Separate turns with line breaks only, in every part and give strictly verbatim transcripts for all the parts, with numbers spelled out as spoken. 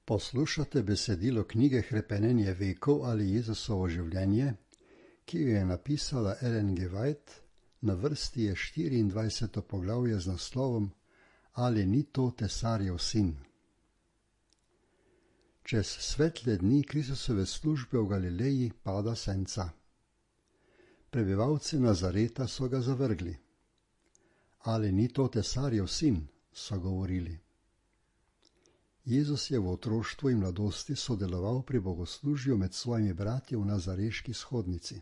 Poslušate besedilo knjige Hrepenenje vekov ali Jezusovo življenje, ki jo je napisala Ellen G. White, na vrsti je štiriindvajseto poglavje z naslovom Ali ni to Tesarjev sin? Čez svetle dni Kristusove službe v Galileji pada senca. Prebivalci Nazareta so ga zavrgli. Ali ni to Tesarjev sin? So govorili. Jezus je v otroštvu in mladosti sodeloval pri bogoslužju med svojimi bratji v nazareški shodnici.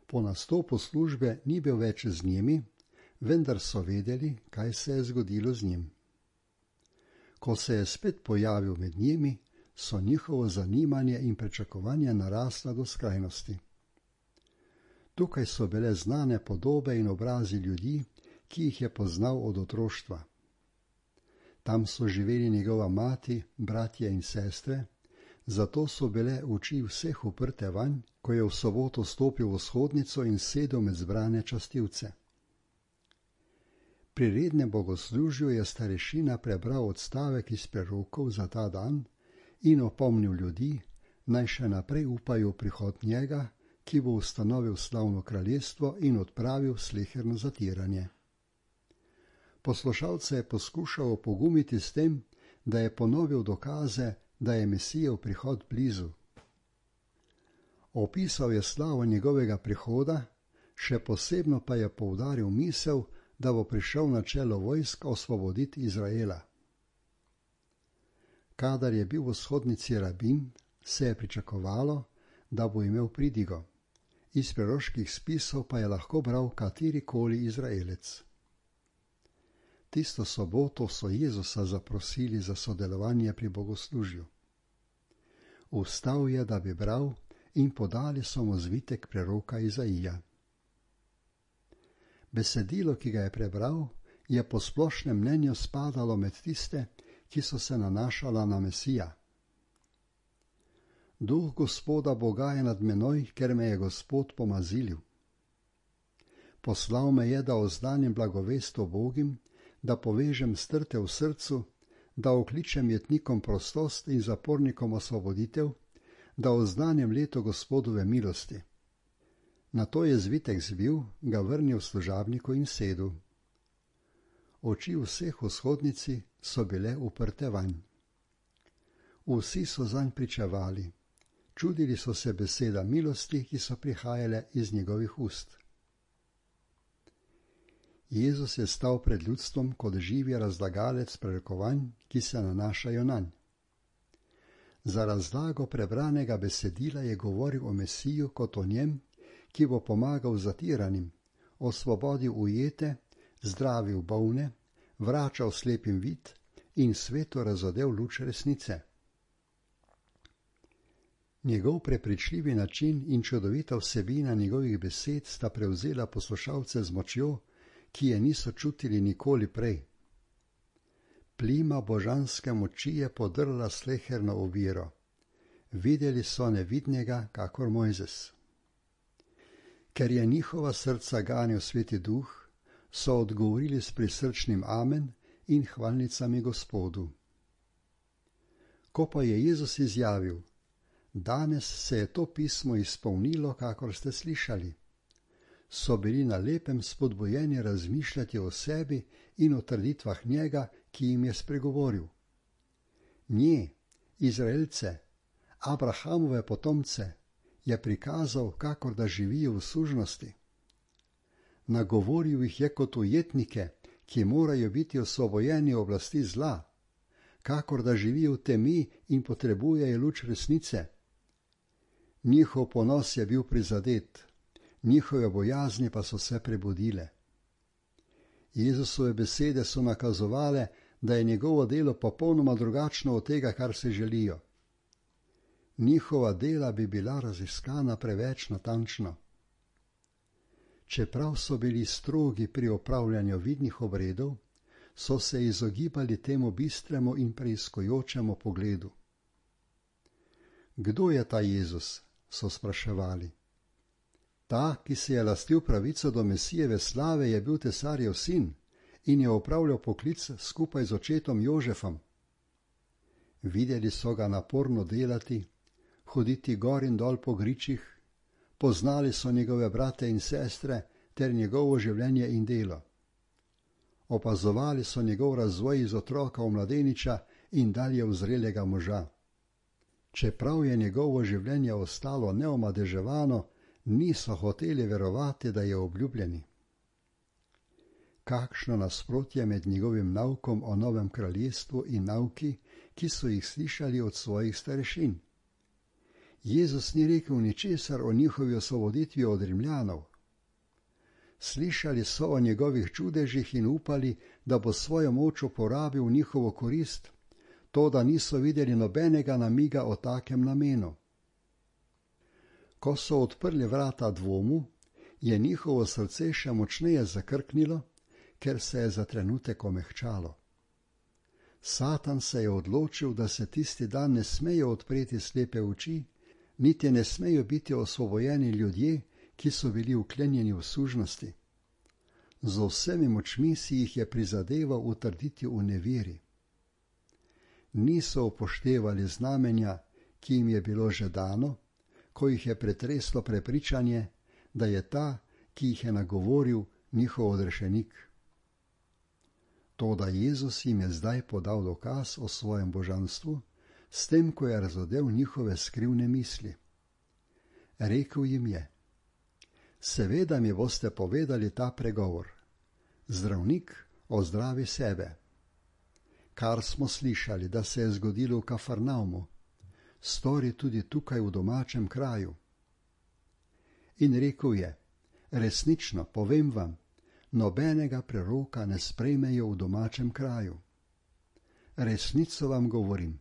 Po nastopu službe ni bil več z njimi, vendar so vedeli, kaj se je zgodilo z njim. Ko se je spet pojavil med njimi, so njihovo zanimanje in pričakovanje narasla do skrajnosti. Tukaj so bile znane podobe in obrazi ljudi, ki jih je poznal od otroštva. Tam so živeli njegova mati, bratje in sestre, zato so bile oči vseh uprte vanj, ko je v soboto stopil v shodnico in sedel med zbrane častilce. Pri rednem bogoslužju je starešina prebral odstavek iz prerokov za ta dan in opomnil ljudi, naj še naprej upajo v prihod njega, ki bo ustanovil slavno kraljestvo in odpravil sleherno zatiranje. Poslušalce je poskušal opogumiti s tem, da je ponovil dokaze, da je Mesijev prihod blizu. Opisal je slavo njegovega prihoda, še posebno pa je poudaril misel, da bo prišel na čelo vojsk osvoboditi Izraela. Kadar je bil v shodnici rabin, se je pričakovalo, da bo imel pridigo. Iz preroških spisov pa je lahko bral katerikoli Izraelec. Tisto soboto so Jezusa zaprosili za sodelovanje pri bogoslužju. Vstal je, da bi bral, in podali so mu zvitek preroka Izaija. Besedilo, ki ga je prebral, je po splošnem mnenju spadalo med tiste, ki so se nanašala na Mesija. Duh Gospoda Boga je nad menoj, ker me je Gospod pomazilil. Poslal me je, da oznanim blagovest ubogim, da povežem strte v srcu, da okličem jetnikom prostost in zapornikom osvoboditev, da oznanim leto Gospodove milosti. Nato je zvitek zbil, ga vrnil služabniku in sedel. Oči vseh v shodnici so bile uprte vanj. Vsi so zanj pričevali, čudili so se beseda milosti, ki so prihajale iz njegovih ust. Jezus je stal pred ljudstvom kot živi razlagalec prerokovanj, ki se nanašajo nanj. Za razlago prebranega besedila je govoril o Mesiju kot o njem, ki bo pomagal zatiranim, osvobodil ujete, zdravil bolne, vračal slepim vid in svetu razodel luč resnice. Njegov prepričljivi način in čudovita vsebina njegovih besed sta prevzela poslušalce z močjo, ki je niso čutili nikoli prej. Plima božanske moči je podrla sleherno oviro. Videli so nevidnega, kakor Mojzes. Ker je njihova srca ganil Sveti Duh, so odgovorili s prisrčnim amen in hvalnicami Gospodu. Ko pa je Jezus izjavil, danes se je to pismo izpolnilo, kakor ste slišali, so bili na lepem spodbujeni razmišljati o sebi in o trditvah njega, ki jim je spregovoril. Nje, Izraelce, Abrahamove potomce, je prikazal, kakor da živijo v sužnosti. Nagovoril jih je kot ujetnike, ki morajo biti osvobojeni oblasti zla, kakor da živijo v temi in potrebujejo luč resnice. Njihov ponos je bil prizadet, njihove bojazni pa so se prebudile. Jezusove besede so nakazovale, da je njegovo delo popolnoma drugačno od tega, kar se želijo. Njihova dela bi bila raziskana preveč natančno. Čeprav so bili strogi pri opravljanju vidnih obredov, so se izogibali temu bistremu in preiskujočemu pogledu. Kdo je ta Jezus? So spraševali. Ta, ki si je lastil pravico do Mesijeve slave, je bil Tesarjev sin in je opravljal poklic skupaj z očetom Jožefom. Videli so ga naporno delati, hoditi gor in dol po gričih, poznali so njegove brate in sestre ter njegovo življenje in delo. Opazovali so njegov razvoj iz otroka v mladeniča in dalje v zrelega moža. Čeprav je njegovo življenje ostalo neomadeževano, niso hoteli verovati, da je obljubljeni. Kakšno nasprotje med njegovim naukom o novem kraljestvu in nauki, ki so jih slišali od svojih starešin. Jezus ni rekel ničesar o njihovi osvoboditvi od Rimljanov. Slišali so o njegovih čudežih in upali, da bo svojo moč uporabil v njihovo korist, to da niso videli nobenega namiga o takem namenu. Ko so odprli vrata dvomu, je njihovo srce še močneje zakrknilo, ker se je za trenutek omehčalo. Satan se je odločil, da se tisti dan ne smejo odpreti slepe oči, niti ne smejo biti osvobojeni ljudje, ki so bili vklenjeni v sužnosti. Z vsemi močmi si jih je prizadeval utrditi v neveri. Niso upoštevali znamenja, ki jim je bilo že dano, ko jih je pretreslo prepričanje, da je ta, ki jih je nagovoril, njihov odrešenik. Toda Jezus jim je zdaj podal dokaz o svojem božanstvu, s tem, ko je razodel njihove skrivne misli. Rekel jim je: Seveda mi boste povedali ta pregovor: Zdravnik, ozdravi sebe. Kar smo slišali, da se je zgodilo v Kafarnaumu, stori tudi tukaj v domačem kraju. In rekel je: Resnično, povem vam, nobenega preroka ne sprejmejo v domačem kraju. Resnico vam govorim.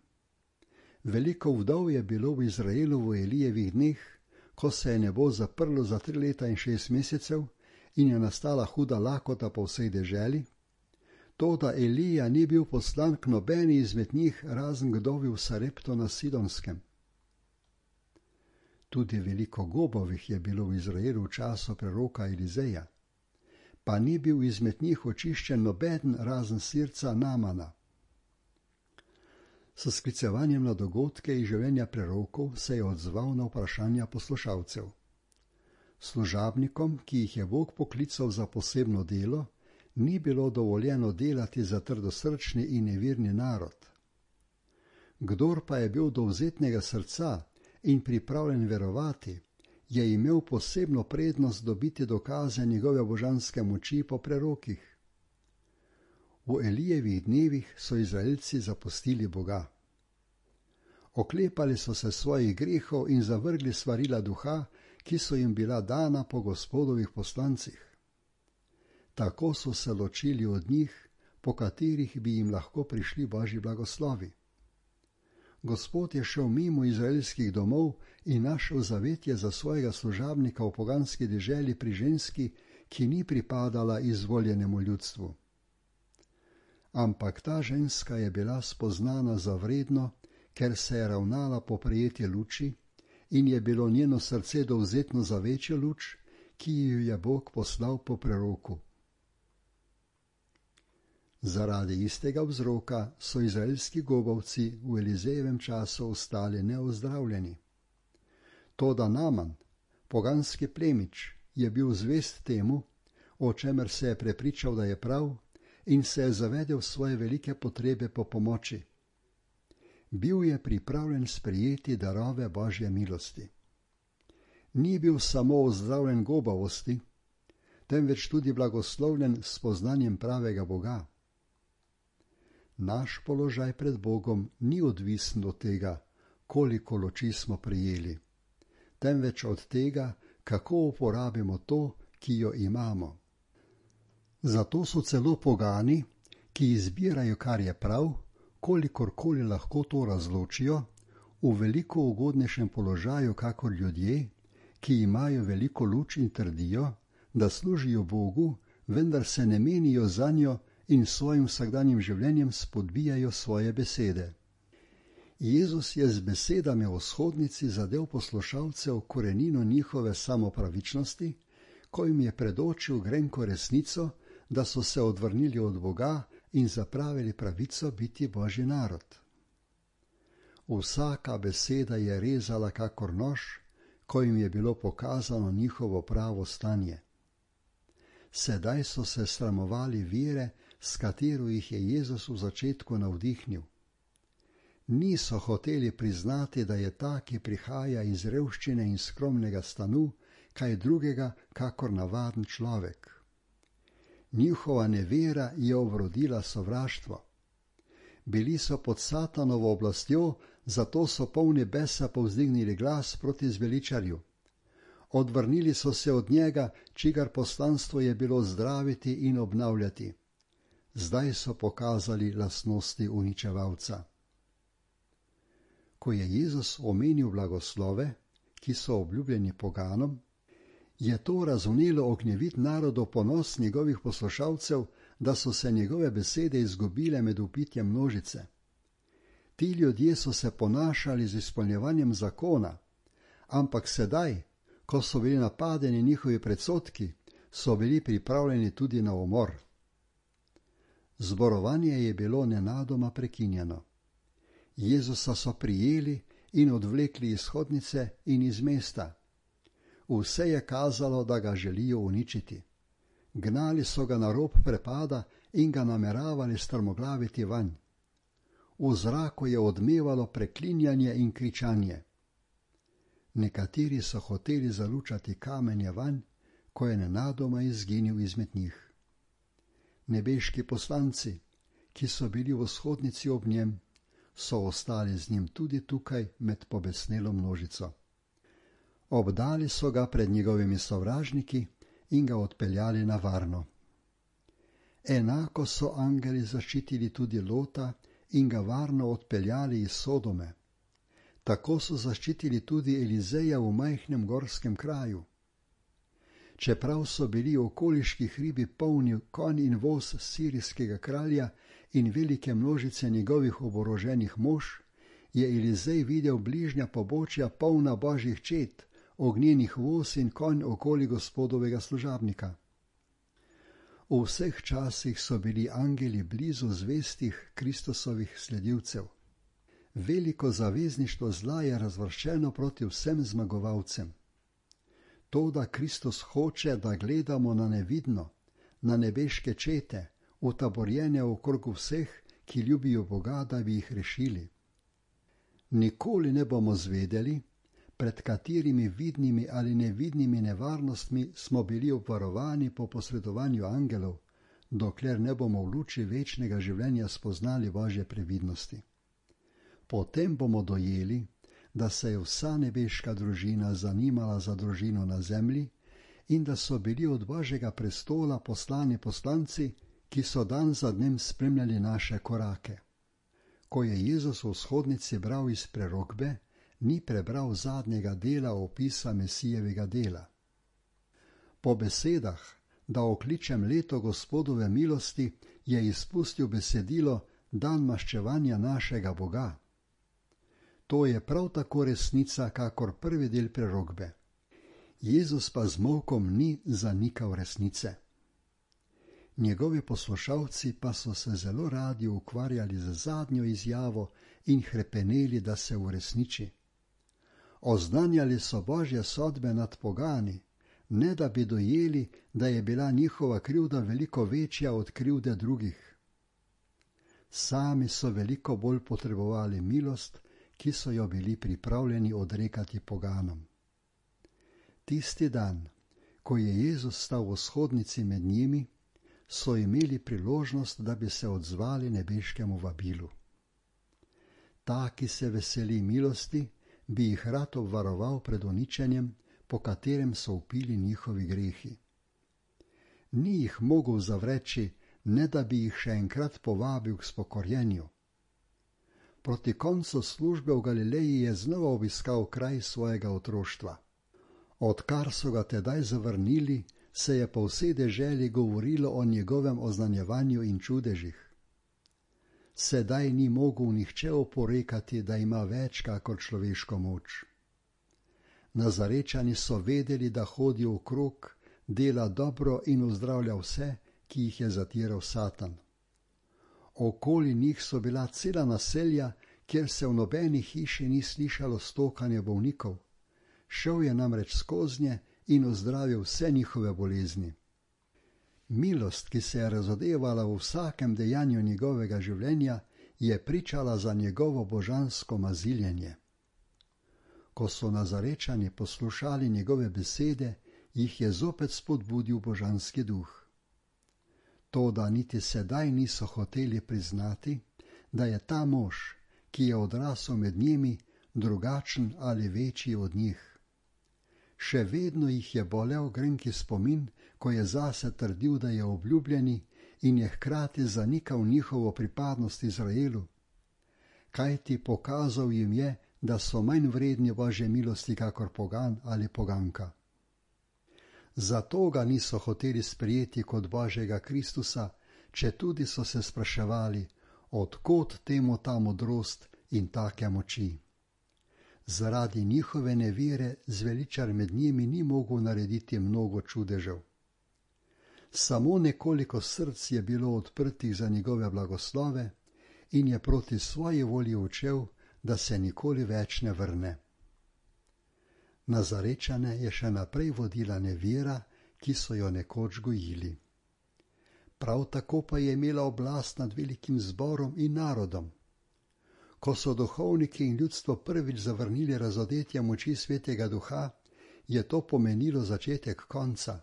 Veliko vdov je bilo v Izraelu v Elijevih dneh, ko se je nebo zaprlo za tri leta in šest mesecev in je nastala huda lakota po vsej deželi, toda Elija ni bil poslan k nobeni izmed njih, razen k vdovi v Sarepto na Sidonskem. Tudi veliko gobovih je bilo v Izraelu v času preroka Elizeja, pa ni bil izmed njih očiščen nobeden razen sirca Namana. S sklicevanjem na dogodke iz življenja prerokov se je odzval na vprašanja poslušalcev. Služabnikom, ki jih je Bog poklical za posebno delo, ni bilo dovoljeno delati za trdosrčni in nevirni narod. Kdor pa je bil dovzetnega srca in pripravljen verovati, je imel posebno prednost dobiti dokaze njegove božanske moči po prerokih. V Elijevih dnevih so Izraelci zapustili Boga. Oklepali so se svojih grehov in zavrgli svarila duha, ki so jim bila dana po Gospodovih poslancih. Tako so se ločili od njih, po katerih bi jim lahko prišli Božji blagoslovi. Gospod je šel mimo izraelskih domov in našel zavetje za svojega služabnika v poganski deželi pri ženski, ki ni pripadala izvoljenemu ljudstvu. Ampak ta ženska je bila spoznana za vredno, ker se je ravnala po prejetje luči in je bilo njeno srce dovzetno za večjo luč, ki jo je Bog poslal po preroku. Zaradi istega vzroka so izraelski gobovci v Elizejevem času ostali neozdravljeni. Toda Naman, poganski plemič, je bil zvest temu, o čemer se je prepričal, da je prav, in se je zavedel svoje velike potrebe po pomoči. Bil je pripravljen sprejeti darove Božje milosti. Ni bil samo ozdravljen gobavosti, temveč tudi blagoslovljen s poznanjem pravega Boga. Naš položaj pred Bogom ni odvisen od tega, koliko luči smo prijeli, temveč od tega, kako uporabimo to, ki jo imamo. Zato so celo pogani, ki izbirajo, kar je prav, kolikorkoli lahko to razločijo, v veliko ugodnejšem položaju kakor ljudje, ki imajo veliko luč in trdijo, da služijo Bogu, vendar se ne menijo zanjo in svojim vsakdanjim življenjem spodbijajo svoje besede. Jezus je z besedami v shodnici zadel poslušalcev korenino njihove samopravičnosti, ko jim je predočil grenko resnico, da so se odvrnili od Boga in zapravili pravico biti Božji narod. Vsaka beseda je rezala kakor nož, ko jim je bilo pokazano njihovo pravo stanje. Sedaj so se sramovali vere, s katero jih je Jezus v začetku navdihnil. Niso hoteli priznati, da je ta, ki prihaja iz revščine in skromnega stanu, kaj drugega kakor navaden človek. Njihova nevera je obrodila sovraštvo. Bili so pod Satanovo oblastjo, zato so polni besa povzdignili glas proti zveličarju. Odvrnili so se od njega, čigar poslanstvo je bilo zdraviti in obnavljati. Zdaj so pokazali lastnosti uničevalca. Ko je Jezus omenil blagoslove, ki so obljubljeni poganom, je to razvnelo ognjevit narodov ponos njegovih poslušalcev, da so se njegove besede izgubile med vpitjem množice. Ti ljudje so se ponašali z izpolnjevanjem zakona, ampak sedaj, ko so bili napadeni njihovi predsodki, so bili pripravljeni tudi na umor. Zborovanje je bilo nenadoma prekinjeno. Jezusa so prijeli in odvlekli iz hodnice in iz mesta. Vse je kazalo, da ga želijo uničiti. Gnali so ga na rob prepada in ga nameravali strmoglaviti vanj. V zraku je odmevalo preklinjanje in kričanje. Nekateri so hoteli zalučati kamenje vanj, ko je nenadoma izginil izmed njih. Nebeški poslanci, ki so bili v shodnici ob njem, so ostali z njim tudi tukaj med pobesnelo množico. Obdali so ga pred njegovimi sovražniki in ga odpeljali na varno. Enako so angeli zaščitili tudi Lota in ga varno odpeljali iz Sodome. Tako so zaščitili tudi Elizeja v majhnem gorskem kraju. Čeprav so bili okoliški hribi polni konj in voz sirijskega kralja in velike množice njegovih oboroženih mož, je Elizej videl bližnja pobočja polna božjih čet, ognjenih voz in konj okoli gospodovega služabnika. V vseh časih so bili angeli blizu zvestih Kristusovih sledilcev. Veliko zavezništvo zla je razvrščeno proti vsem zmagovalcem. To, da Kristus hoče, da gledamo na nevidno, na nebeške čete, utaborjene okrog vseh, ki ljubijo Boga, da bi jih rešili. Nikoli ne bomo zvedeli, pred katerimi vidnimi ali nevidnimi nevarnostmi smo bili obvarovani po posredovanju angelov, dokler ne bomo v luči večnega življenja spoznali Božje previdnosti. Potem bomo dojeli, da se je vsa nebeška družina zanimala za družino na zemlji in da so bili od Božjega prestola poslani poslanci, ki so dan za dnem spremljali naše korake. Ko je Jezus v shodnici bral iz prerokbe, ni prebral zadnjega dela opisa Mesijevega dela. Po besedah, da okličem leto Gospodove milosti, je izpustil besedilo dan maščevanja našega Boga. To je prav tako resnica, kakor prvi del prerokbe. Jezus pa z molkom ni zanikal resnice. Njegovi poslušalci pa so se zelo radi ukvarjali z zadnjo izjavo in hrepeneli, da se uresniči. Oznanjali so Božje sodbe nad pogani, ne da bi dojeli, da je bila njihova krivda veliko večja od krivde drugih. Sami so veliko bolj potrebovali milost, ki so jo bili pripravljeni odrekati poganom. Tisti dan, ko je Jezus stal v shodnici med njimi, so imeli priložnost, da bi se odzvali nebeškemu vabilu. Ta, ki se veseli milosti, bi jih rad obvaroval pred uničenjem, po katerem so upili njihovi grehi. Ni jih mogel zavreči, ne da bi jih še enkrat povabil k spokorjenju. Proti koncu službe v Galileji je znova obiskal kraj svojega otroštva. Odkar so ga tedaj zavrnili, se je po vsej deželi govorilo o njegovem oznanjevanju in čudežih. Sedaj ni mogel nihče oporekati, da ima več kakor človeško moč. Nazarečani so vedeli, da hodi okrog, dela dobro in ozdravlja vse, ki jih je zatiral Satan. Okoli njih so bila cela naselja, kjer se v nobeni hiši ni slišalo stokanja bolnikov. Šel je namreč skoznje in ozdravil vse njihove bolezni. Milost, ki se je razodevala v vsakem dejanju njegovega življenja, je pričala za njegovo božansko maziljenje. Ko so Nazarečani poslušali njegove besede, jih je zopet spodbudil božanski duh. Toda niti sedaj niso hoteli priznati, da je ta mož, ki je odrasel med njimi, drugačen ali večji od njih. Še vedno jih je bolel grenki spomin, ko je zase trdil, da je obljubljeni, in je hkrati zanikal njihovo pripadnost Izraelu. Kajti pokazal jim je, da so manj vredni Božje milosti kakor pogan ali poganka. Zato ga niso hoteli sprejeti kot Božjega Kristusa, četudi so se spraševali, od kod temu ta modrost in take moči. Zaradi njihove nevere zveličar med njimi ni mogel narediti mnogo čudežev. Samo nekoliko src je bilo odprtih za njegove blagoslove in je proti svoji volji učel, da se nikoli več ne vrne. Nazarečane je še naprej vodila nevera, ki so jo nekoč gojili. Prav tako pa je imela oblast nad velikim zborom in narodom. Ko so duhovniki in ljudstvo prvič zavrnili razodetje moči Svetega Duha, je to pomenilo začetek konca.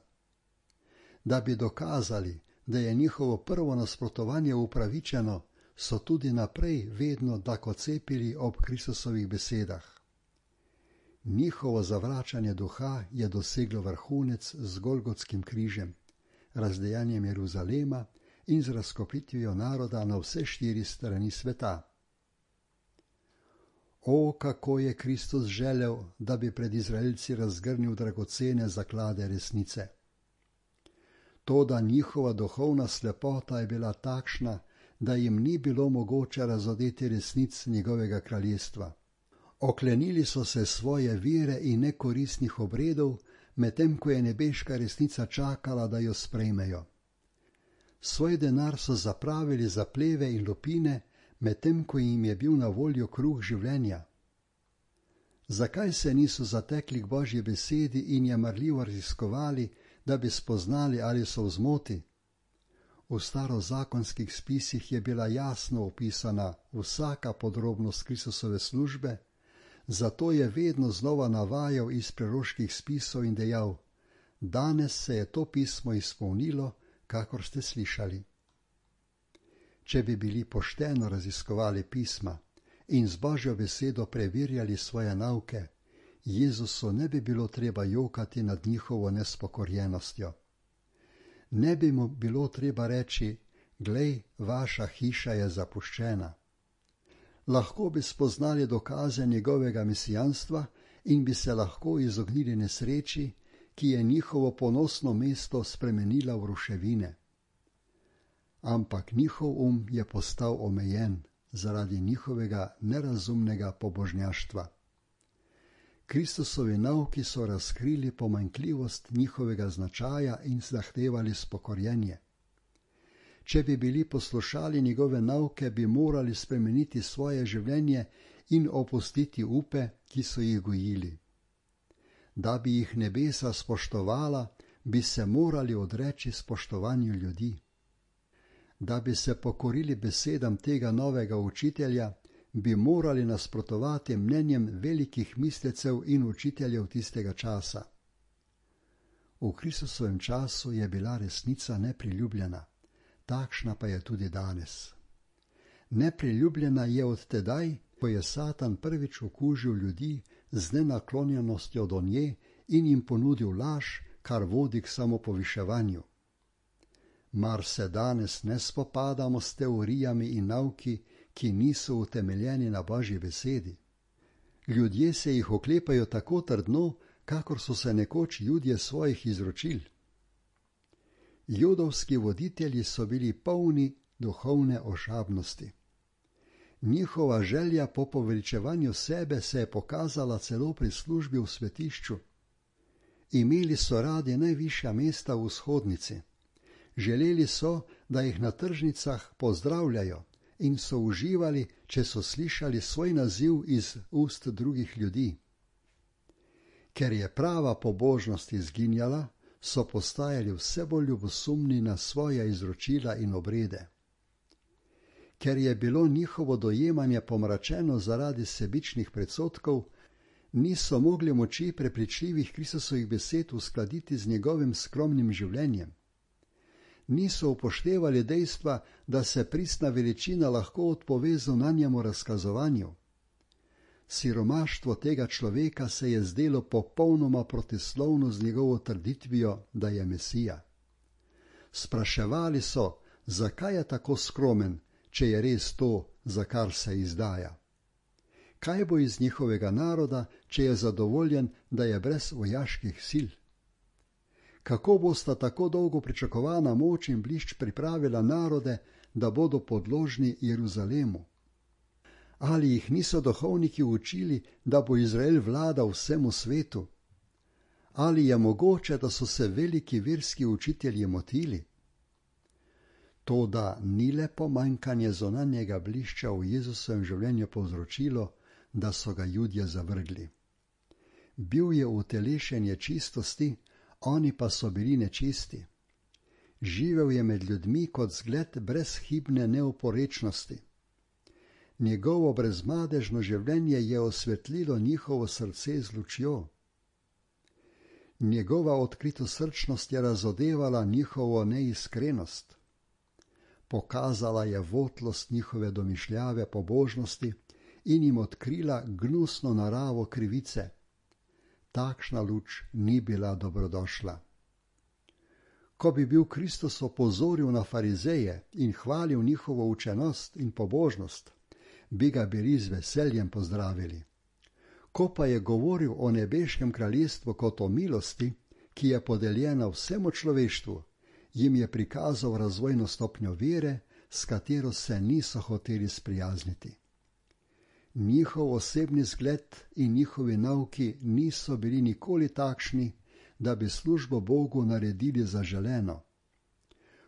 Da bi dokazali, da je njihovo prvo nasprotovanje upravičeno, so tudi naprej vedno dakocepili ob Kristusovih besedah. Njihovo zavračanje duha je doseglo vrhunec z Golgotskim križem, razdejanjem Jeruzalema in z razkopitvijo naroda na vse štiri strani sveta. O, kako je Kristus želel, da bi pred Izraelci razgrnil dragocene zaklade resnice. Toda njihova duhovna slepota je bila takšna, da jim ni bilo mogoče razodeti resnic njegovega kraljestva. Oklenili so se svoje vere in nekoristnih obredov, medtem ko je nebeška resnica čakala, da jo sprejmejo. Svoj denar so zapravili za pleve in lupine, medtem ko jim je bil na voljo kruh življenja. Zakaj se niso zatekli k Božji besedi in je marljivo raziskovali, da bi spoznali, ali so v zmoti? V starozakonskih spisih je bila jasno opisana vsaka podrobnost Kristusove službe, zato je vedno znova navajal iz preroških spisov in dejal: danes se je to pismo izpolnilo, kakor ste slišali. Če bi bili pošteno raziskovali pisma in z Božjo besedo preverjali svoje nauke, Jezusu ne bi bilo treba jokati nad njihovo nespokorjenostjo. Ne bi mu bilo treba reči: glej, vaša hiša je zapuščena. Lahko bi spoznali dokaze njegovega mesijanstva in bi se lahko izognili nesreči, ki je njihovo ponosno mesto spremenila v ruševine. Ampak njihov um je postal omejen zaradi njihovega nerazumnega pobožnjaštva. Kristusovi nauki so razkrili pomanjkljivost njihovega značaja in zahtevali spokorjenje. Če bi bili poslušali njegove nauke, bi morali spremeniti svoje življenje in opustiti upe, ki so jih gojili. Da bi jih nebesa spoštovala, bi se morali odreči spoštovanju ljudi. Da bi se pokorili besedam tega novega učitelja, bi morali nasprotovati mnenjem velikih mislecev in učiteljev tistega časa. V Kristusovem času je bila resnica nepriljubljena, takšna pa je tudi danes. Nepriljubljena je od tedaj, ko je Satan prvič okužil ljudi z nenaklonjenostjo do nje in jim ponudil laž, kar vodi k samopoviševanju. Mar se danes ne spopadamo s teorijami in nauki, ki niso utemeljeni na Božji besedi? Ljudje se jih oklepajo tako trdno, kakor so se nekoč Judje svojih izročil. Judovski voditelji so bili polni duhovne ošabnosti. Njihova želja po poveličevanju sebe se je pokazala celo pri službi v svetišču. Imeli so radi najvišja mesta v vzhodnici. Želeli so, da jih na tržnicah pozdravljajo in so uživali, če so slišali svoj naziv iz ust drugih ljudi. Ker je prava pobožnost izginjala, so postajali vse bolj ljubosumni na svoja izročila in obrede. Ker je bilo njihovo dojemanje pomračeno zaradi sebičnih predsodkov, niso mogli moči prepričljivih Kristusovih besed uskladiti z njegovim skromnim življenjem. Niso upoštevali dejstva, da se pristna veličina lahko odpove zunanjemu razkazovanju. Siromaštvo tega človeka se je zdelo popolnoma protislovno z njegovo trditvijo, da je Mesija. Spraševali so, zakaj je tako skromen, če je res to, za kar se izdaja. Kaj bo iz njihovega naroda, če je zadovoljen, da je brez vojaških sil? Kako bosta tako dolgo pričakovana moč in blišč pripravila narode, da bodo podložni Jeruzalemu? Ali jih niso duhovniki učili, da bo Izrael vladal vsemu svetu? Ali je mogoče, da so se veliki verski učitelji motili? Toda ni le pomanjkanje zunanjega blišča v Jezusovem življenju povzročilo, da so ga Judje zavrgli. Bil je utelešenje čistosti, oni pa so bili nečisti. Živel je med ljudmi kot zgled brezhibne neoporečnosti. Njegovo brezmadežno življenje je osvetlilo njihovo srce z lučjo. Njegova odkritosrčnost je razodevala njihovo neiskrenost. Pokazala je votlost njihove domišljave pobožnosti in jim odkrila gnusno naravo krivice. Takšna luč ni bila dobrodošla. Ko bi bil Kristus opozoril na farizeje in hvalil njihovo učenost in pobožnost, bi ga bili z veseljem pozdravili. Ko pa je govoril o nebeškem kraljestvu kot o milosti, ki je podeljena vsemu človeštvu, jim je prikazal razvojno stopnjo vere, s katero se niso hoteli sprijazniti. Njihov osebni zgled in njihovi nauki niso bili nikoli takšni, da bi službo Bogu naredili zaželeno.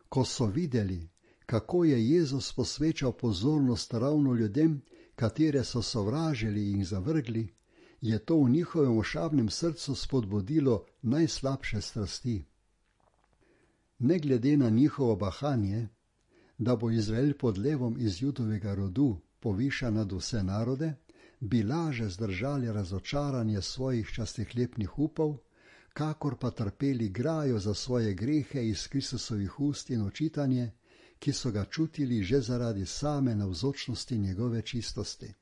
Ko so videli, kako je Jezus posvečal pozornost ravno ljudem, katere so sovražili in zavrgli, je to v njihovem ošabnem srcu spodbudilo najslabše strasti. Ne glede na njihovo bahanje, da bo Izrael pod levom iz Judovega rodu povišan nad vse narode, bi laže zdržali razočaranje svojih častihlepnih upov, kakor pa trpeli grajo za svoje grehe iz Kristusovih ust in očitanje, ki so ga čutili že zaradi same navzočnosti njegove čistosti.